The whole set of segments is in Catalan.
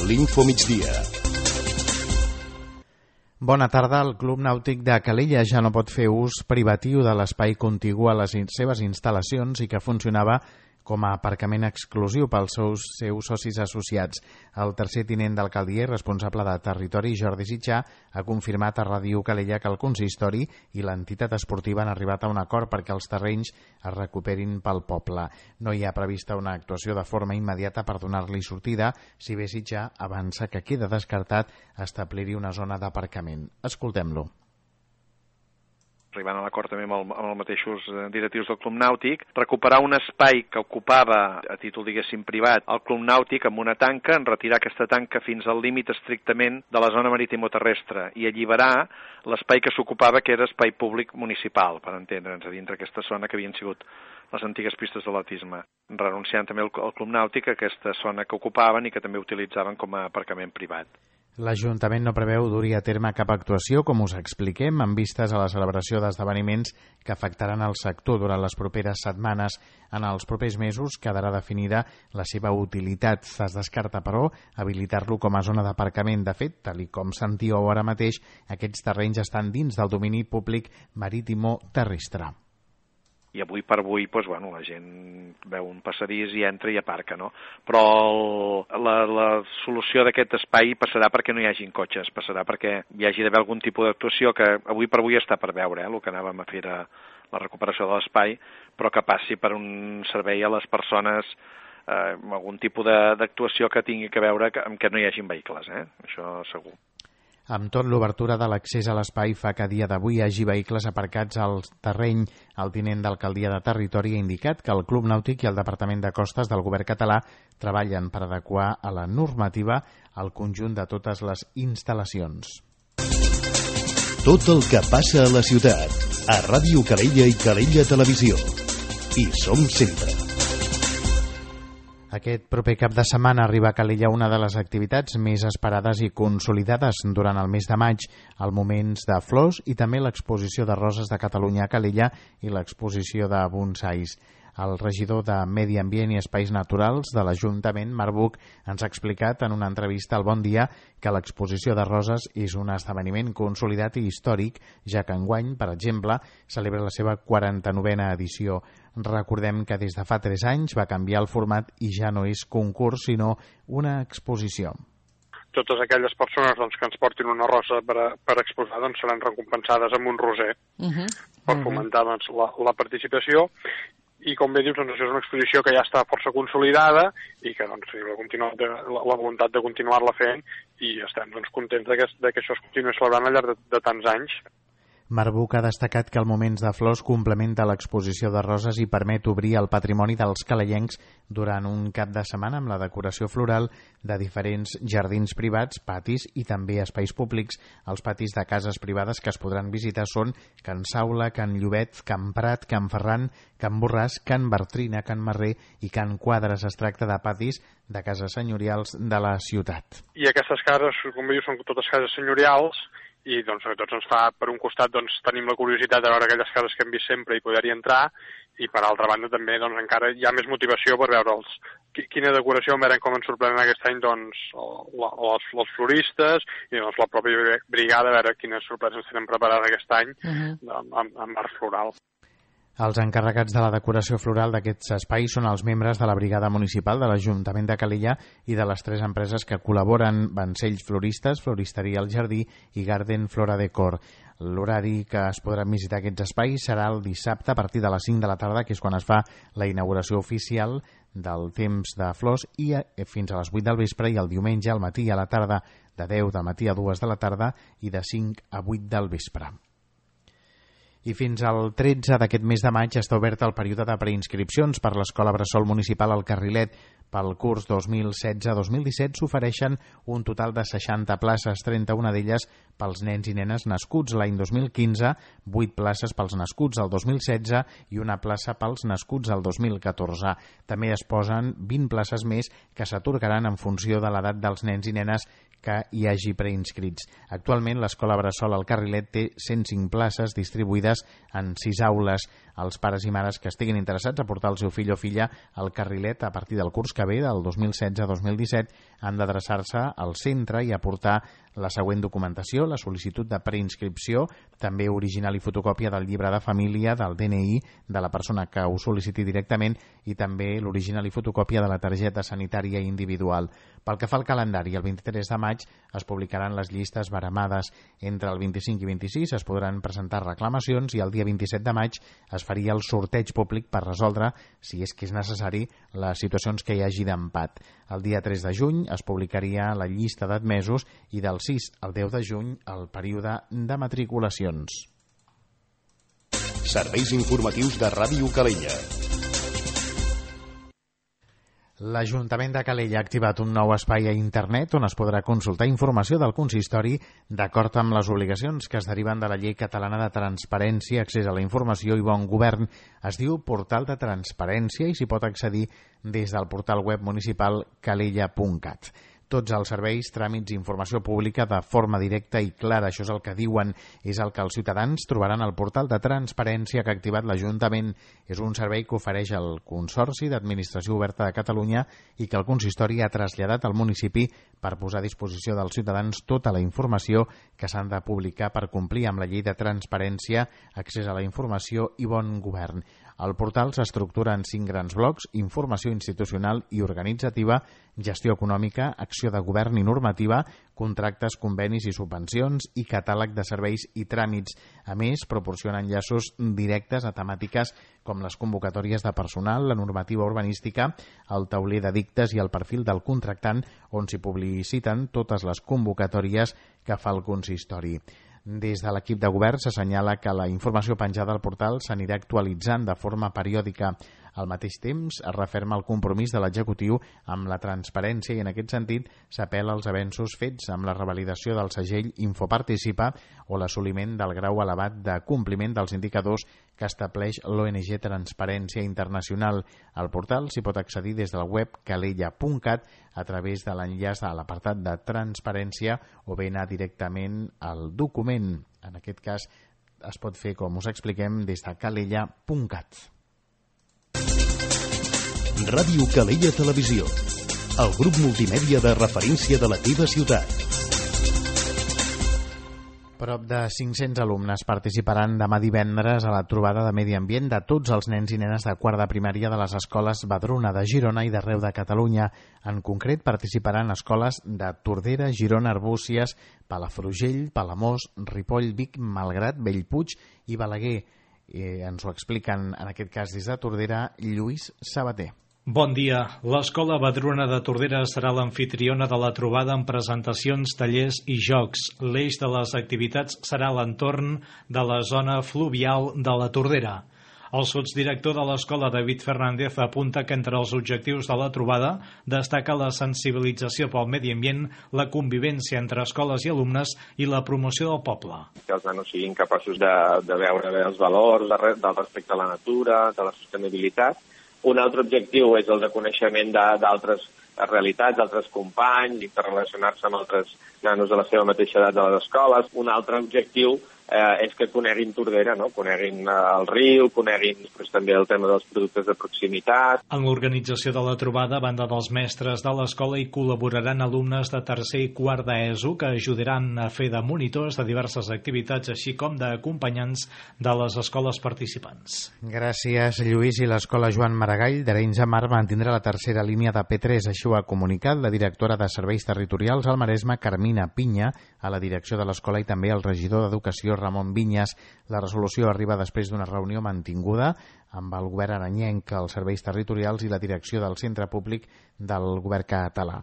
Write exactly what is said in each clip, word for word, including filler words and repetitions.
l'Info Migdia. Bona tarda. El Club Nàutic de Calella ja no pot fer ús privatiu de l'espai contigu a les seves instal·lacions i que funcionava com a aparcament exclusiu pels seus, seus socis associats. El tercer tinent d'alcaldia i responsable de territori, Jordi Sitjà, ha confirmat a Ràdio Calella que el consistori i l'entitat esportiva han arribat a un acord perquè els terrenys es recuperin pel poble. No hi ha prevista una actuació de forma immediata per donar-li sortida, si bé Sitjà avança que queda descartat establir-hi una zona d'aparcament. Escoltem-lo. Arribant a l'acord també amb, el, amb els mateixos directius del Club Nàutic, recuperar un espai que ocupava, a títol diguéssim privat, el Club Nàutic amb una tanca, en retirar aquesta tanca fins al límit estrictament de la zona maritimoterrestre i alliberar l'espai que s'ocupava, que era espai públic municipal, per entendre'ns, a dintre aquesta zona que havien sigut les antigues pistes d'atletisme, renunciant també al, al Club Nàutic a aquesta zona que ocupaven i que també utilitzaven com a aparcament privat. L'Ajuntament no preveu dur a terme cap actuació, com us expliquem, amb vistes a la celebració d'esdeveniments que afectaran el sector durant les properes setmanes. En els propers mesos quedarà definida la seva utilitat. Es descarta, però, habilitar-lo com a zona d'aparcament. De fet, tal com sentíeu ara mateix, aquests terrenys estan dins del domini públic marítimo-terrestre. I avui per avui, doncs, bueno, la gent veu un passadís i entra i aparca, no? Però el, la, la solució d'aquest espai passarà perquè no hi hagin cotxes, passarà perquè hi hagi d'haver algun tipus d'actuació que avui per avui està per veure, eh, el que anàvem a fer era la recuperació de l'espai, però que passi per un servei a les persones, eh, algun tipus d'actuació que tingui que veure que, amb que no hi hagin vehicles, eh? Això segur. Amb tot, l'obertura de l'accés a l'espai fa que a dia d'avui hi hagi vehicles aparcats al terreny. El tinent d'alcaldia de territori ha indicat que el Club Nàutic i el Departament de Costes del govern català treballen per adequar a la normativa el conjunt de totes les instal·lacions. Tot el que passa a la ciutat, a Ràdio Calella i Calella Televisió. Hi som sempre. Aquest proper cap de setmana arriba a Calella una de les activitats més esperades i consolidades durant el mes de maig, el Moments de Flors i també l'exposició de Roses de Catalunya a Calella i l'exposició de bonsais. El regidor de Medi Ambient i Espais Naturals de l'Ajuntament, Marc Buch, ens ha explicat en una entrevista al Bon Dia que l'exposició de roses és un esdeveniment consolidat i històric, ja que enguany, per exemple, celebra la seva quaranta-novena edició. Recordem que des de fa tres anys va canviar el format i ja no és concurs, sinó una exposició. Totes aquelles persones doncs, que ens portin una rosa per, a, per exposar doncs, seran recompensades amb un roser uh-huh. per fomentar doncs, la, la participació. I com bé dius, doncs, això és una exposició que ja està força consolidada i que doncs, la, la, la voluntat de continuar-la fent i estem doncs, contents de que, de que això es continuï celebrant al llarg de, de tants anys. Marc Buch ha destacat que el Moments de Flors complementa l'exposició de roses i permet obrir el patrimoni dels calellencs durant un cap de setmana amb la decoració floral de diferents jardins privats, patis i també espais públics. Els patis de cases privades que es podran visitar són Can Saula, Can Llobet, Can Prat, Can Ferran, Can Borràs, Can Bartrina, Can Marrer i Can Quadres. Es tracta de patis de cases senyorials de la ciutat. I aquestes cases, com bé dius, són totes cases senyorials i doncs a tots ens fa, per un costat doncs, tenim la curiositat de veure aquelles cases que hem vist sempre i poder-hi entrar i per altra banda també doncs, encara hi ha més motivació per veure els, quina decoració veurem com ens sorprenen aquest any doncs, els, els floristes i doncs, la pròpia brigada a veure quines sorpreses tenen preparades aquest any uh-huh. amb, amb art floral. Els encarregats de la decoració floral d'aquests espais són els membres de la Brigada Municipal de l'Ajuntament de Calella i de les tres empreses que col·laboren, Vancells Floristes, Floristeria El Jardí i Garden Flora Decor. L'horari que es podran visitar aquests espais serà el dissabte a partir de les cinc de la tarda, que és quan es fa la inauguració oficial del temps de flors, i fins a les vuit del vespre, i el diumenge al matí i a la tarda de deu del matí a dues de la tarda i de cinc a vuit del vespre. I fins al tretze d'aquest mes de maig està obert el període de preinscripcions per l'Escola Bressol Municipal al Carrilet. Pel curs dos mil setze dos mil disset s'ofereixen un total de seixanta places, trenta-una d'elles pels nens i nenes nascuts l'any dos mil quinze, vuit places pels nascuts el dos mil setze i una plaça pels nascuts el dos mil catorze. També es posen vint places més que s'atorgaran en funció de l'edat dels nens i nenes que hi hagi preinscrits. Actualment l'Escola Bressol al Carrilet té cent cinc places distribuïdes en sis aules. als pares i mares que estiguin interessats a portar el seu fill o filla al carrilet a partir del curs que ve, del dos mil setze dos mil disset, han d'adreçar-se al centre i aportar la següent documentació: la sol·licitud de preinscripció, també original i fotocòpia del llibre de família, del D N I de la persona que ho sol·liciti directament i també l'original i fotocòpia de la targeta sanitària individual. Pel que fa al calendari, el vint-i-tres de maig es publicaran les llistes baremades. Entre el vint-i-cinc i vint-i-sis es podran presentar reclamacions i el dia vint-i-set de maig es faria el sorteig públic per resoldre, si és que és necessari, les situacions que hi hagi d'empat. El dia tres de juny es publicaria la llista d'admesos i del sis al deu de juny el període de matriculacions. Serveis informatius de Ràdio Calella. L'Ajuntament de Calella ha activat un nou espai a internet on es podrà consultar informació del consistori d'acord amb les obligacions que es deriven de la Llei Catalana de Transparència, Accés a la Informació i Bon Govern. Es diu Portal de Transparència i s'hi pot accedir des del portal web municipal calella punt cat. Tots els serveis, tràmits i informació pública de forma directa i clara, això és el que diuen, és el que els ciutadans trobaran al portal de transparència que ha activat l'Ajuntament. És un servei que ofereix el Consorci d'Administració Oberta de Catalunya i que el consistori ha traslladat al municipi per posar a disposició dels ciutadans tota la informació que s'han de publicar per complir amb la Llei de Transparència, Accés a la Informació i Bon Govern. El portal s'estructura en cinc grans blocs: informació institucional i organitzativa, gestió econòmica, acció de govern i normativa, contractes, convenis i subvencions i catàleg de serveis i tràmits. A més, proporciona enllaços directes a temàtiques com les convocatòries de personal, la normativa urbanística, el tauler d'edictes i el perfil del contractant, on s'hi publiciten totes les convocatòries que fa el consistori. Des de l'equip de govern s'assenyala que la informació penjada al portal s'anirà actualitzant de forma periòdica. Al mateix temps, es referma el compromís de l'executiu amb la transparència i en aquest sentit s'apel·la als avenços fets amb la revalidació del segell Infoparticipa o l'assoliment del grau elevat de compliment dels indicadors que estableix l'O N G Transparència Internacional. Al portal s'hi pot accedir des del web calella punt cat a través de l'enllaç a l'apartat de transparència o bé anar directament al document. En aquest cas es pot fer, com us expliquem, des de calella punt cat. Ràdio Calella Televisió, el grup multimèdia de referència de la teva ciutat. Prop de cinc-cents alumnes participaran demà divendres a la trobada de medi ambient de tots els nens i nenes de quart de primària de les escoles Badruna de Girona i d'arreu de Catalunya. En concret, participaran escoles de Tordera, Girona, Arbúcies, Palafrugell, Palamós, Ripoll, Vic, Malgrat, Bellpuig i Balaguer. Eh, ens ho expliquen, en aquest cas des de Tordera, Lluís Sabater. Bon dia. L'Escola Badruna de Tordera serà l'amfitriona de la trobada amb presentacions, tallers i jocs. L'eix de les activitats serà l'entorn de la zona fluvial de la Tordera. El sotsdirector de l'escola, David Fernández, apunta que entre els objectius de la trobada destaca la sensibilització pel medi ambient, la convivència entre escoles i alumnes i la promoció del poble. Que els nanos siguin capaços de, de veure bé els valors de, del respecte a la natura, de la sostenibilitat. Un altre objectiu és el de coneixement d'altres realitats, d'altres companys, interrelacionar-se amb altres nanos de la seva mateixa edat de les escoles. Un altre objectiu eh, és que coneguin Tordera, no? Coneguin eh, el riu, coneguin pues, també el tema dels productes de proximitat. En l'organització de la trobada, a banda dels mestres de l'escola, hi col·laboraran alumnes de tercer i quart d'ESO que ajudaran a fer de monitors de diverses activitats, així com d'acompanyants de les escoles participants. Gràcies, Lluís. I l'escola Joan Maragall d'Arenys de Mar mantindrà la tercera línia de P tres. Així ho ha comunicat la directora de Serveis Territorials al Maresme, Carmina Pinya, a la direcció de l'escola i també al regidor d'Educació, Ramon Vinyes. La resolució arriba després d'una reunió mantinguda amb el govern aranyenc, els serveis territorials i la direcció del centre públic del govern català.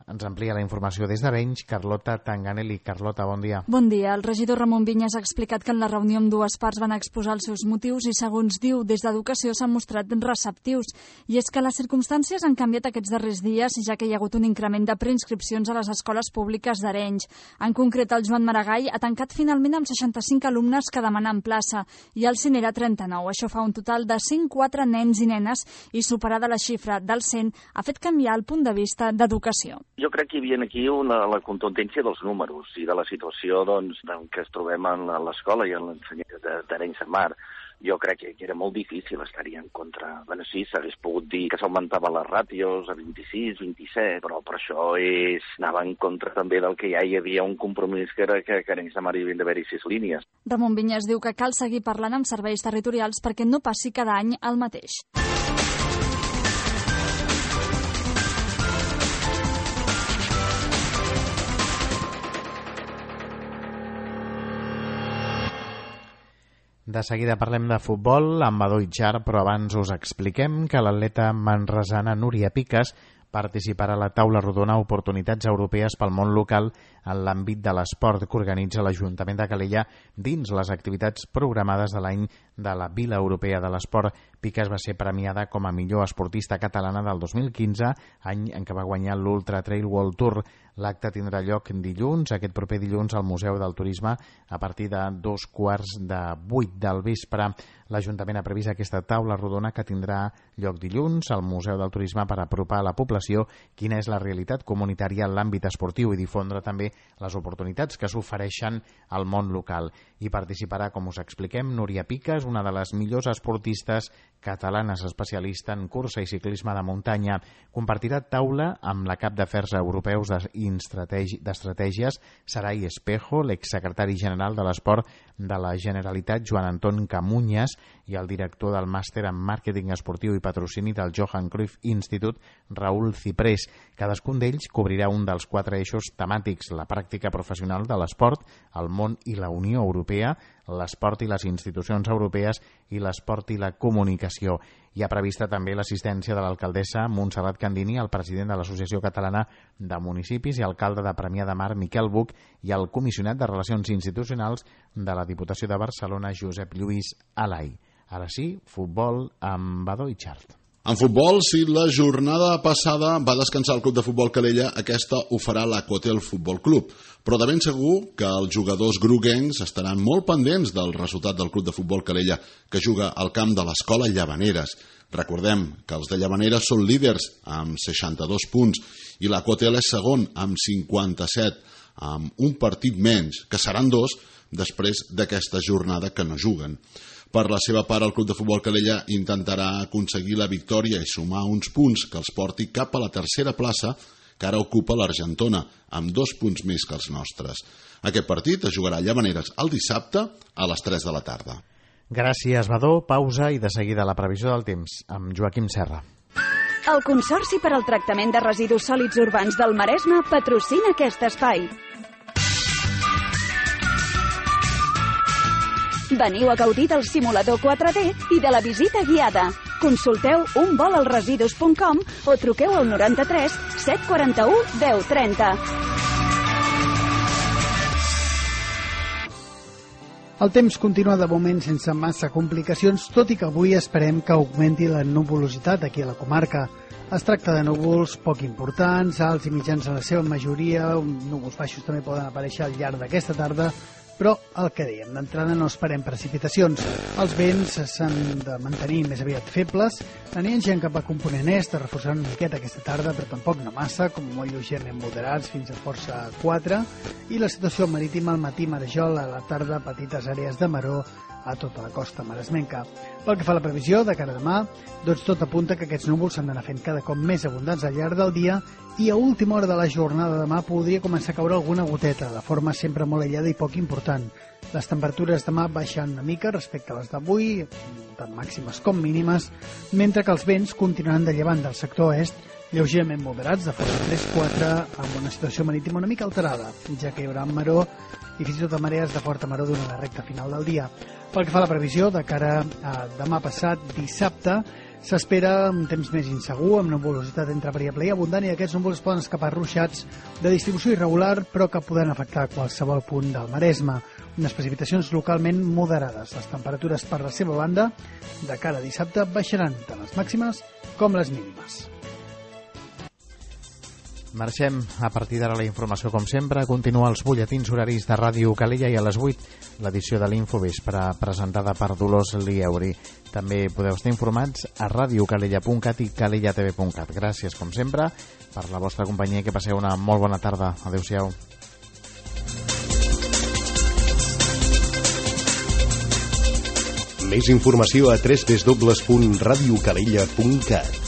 Ens amplia la informació des d'Arenys, Carlota Tanganelli. Carlota, bon dia. Bon dia. El regidor Ramon Vinyes ha explicat que en la reunió amb dues parts van exposar els seus motius i, segons diu, des d'Educació s'han mostrat receptius. I és que les circumstàncies han canviat aquests darrers dies, ja que hi ha hagut un increment de preinscripcions a les escoles públiques d'Arenys. En concret, el Joan Maragall ha tancat finalment amb seixanta-cinc alumnes que demanen plaça i el Cinera trenta-nou. Això fa un total de cent quatre nens i nenes i, superada la xifra del cent, ha fet canviar el punt de vista d'Educació. Jo crec que hi havia aquí una, la contundència dels números i de la situació doncs, en què es trobem en l'escola i en l'ensenyament d'Arenys de Mar. jo crec que era molt difícil estar-hi en contra. Bueno, sí, s'hagués pogut dir que s'augmentaven les ràtios a vint-i-sis, vint-i-set, però per això és, anava en contra també del que ja hi havia un compromís que era que, que a Samar hi havien d'haver-hi sis línies. Ramon Vinyes diu que cal seguir parlant amb serveis territorials perquè no passi cada any el mateix. De seguida parlem de futbol amb Badó Itxart, però abans us expliquem que l'atleta manresana Núria Piques participarà a la taula rodona Oportunitats Europees pel món local en l'àmbit de l'esport que organitza l'Ajuntament de Calella dins les activitats programades de l'any de la Vila Europea de l'Esport. Piques va ser premiada com a millor esportista catalana del dos mil quinze, any en què va guanyar l'Ultra Trail World Tour. L'acte tindrà lloc dilluns, aquest proper dilluns, al Museu del Turisme a partir de dos quarts de vuit del vespre. L'Ajuntament ha previst aquesta taula rodona que tindrà lloc dilluns al Museu del Turisme per apropar a la població quina és la realitat comunitària en l'àmbit esportiu i difondre també les oportunitats que s'ofereixen al món local. Hi participarà, com us expliquem, Núria Piques, una de les millors esportistes catalanes especialista en cursa i ciclisme de muntanya. Compartirà taula amb la cap d'Afers Europeus d'Estratègies, Sarai Espejo, l'exsecretari general de l'Esport de la Generalitat, Joan Anton Camunyes, i el director del màster en màrqueting esportiu i patrocini del Johan Cruyff Institute, Raúl Ciprés. Cadascun d'ells cobrirà un dels quatre eixos temàtics: la pràctica professional de l'esport, el món i la Unió Europea, l'esport i les institucions europees i l'esport i la comunicació. Hi ha prevista també l'assistència de l'alcaldessa Montserrat Candini, el president de l'Associació Catalana de Municipis i alcalde de Premià de Mar, Miquel Buch, i el comissionat de Relacions Institucionals de la Diputació de Barcelona, Josep Lluís Alai. Ara sí, futbol amb Badó Itxart. En futbol, si la jornada passada va descansar el Club de Futbol Calella, aquesta ho farà l'Acotel Futbol Club. Però de ben segur que els jugadors groguencs estaran molt pendents del resultat del Club de Futbol Calella, que juga al camp de l'Escola Llavaneres. Recordem que els de Llavaneres són líders amb seixanta-dos punts i l'Acotel és segon amb cinquanta-set, amb un partit menys, que seran dos després d'aquesta jornada que no juguen. Per la seva part, el Club de Futbol Calella intentarà aconseguir la victòria i sumar uns punts que els porti cap a la tercera plaça que ara ocupa l'Argentona, amb dos punts més que els nostres. Aquest partit es jugarà a Llavaneres el dissabte a les tres de la tarda. Gràcies, Badó. Pausa i de seguida la previsió del temps amb Joaquim Serra. El Consorci per al Tractament de Residus Sòlids Urbans del Maresme patrocina aquest espai. Veniu a gaudir del simulador quatre D i de la visita guiada. Consulteu un vol al residus punt com o truqueu al noranta-tres set quaranta-u deu trenta. El temps continua de moment sense massa complicacions, tot i que avui esperem que augmenti la nuvolositat aquí a la comarca. Es tracta de núvols poc importants, alts i mitjans en la seva majoria, núvols baixos també poden aparèixer al llarg d'aquesta tarda, però el que dèiem, d'entrada no esperem precipitacions. Els vents s'han de mantenir més aviat febles, aniran gent cap a component est, reforçant una miqueta aquesta tarda, però tampoc no massa, com molt lleugerament moderats fins a força quatre, i la situació marítima al matí marejol, a la tarda petites àrees de maró a tota la costa maresmenca. Pel que fa a la previsió de cara a demà, doncs tot apunta que aquests núvols s'han d'anar fent cada cop més abundants al llarg del dia i a última hora de la jornada de demà podria començar a caure alguna goteta, de forma sempre molt aïllada i poc important. Les temperatures demà baixen una mica respecte a les d'avui, tant màximes com mínimes, mentre que els vents continuaran de llevant del sector est, lleugerament moderats, de força tres quatre, amb una situació marítima una mica alterada, ja que hi haurà maró i fins i tot marees de forta maró durant la recta final del dia. Pel que fa a la previsió, de cara a demà passat, dissabte, s'espera un temps més insegur, amb nuvolositat entre variable i abundant, i aquests núvols poden escapar ruixats de distribució irregular, però que poden afectar qualsevol punt del Maresme. Unes precipitacions localment moderades. Les temperatures per la seva banda, de cara a dissabte, baixaran tant les màximes com les mínimes. Marxem a partir d'ara la informació, com sempre. Continua els butlletins horaris de Ràdio Calella i a les vuit l'edició de l'Infovespre presentada per Dolors Lieuri. També podeu estar informats a radiocalella punt cat i calellatv punt cat. Gràcies, com sempre, per la vostra companyia i que passeu una molt bona tarda. Adéu-siau. Més informació a w w w punt radio calella punt cat.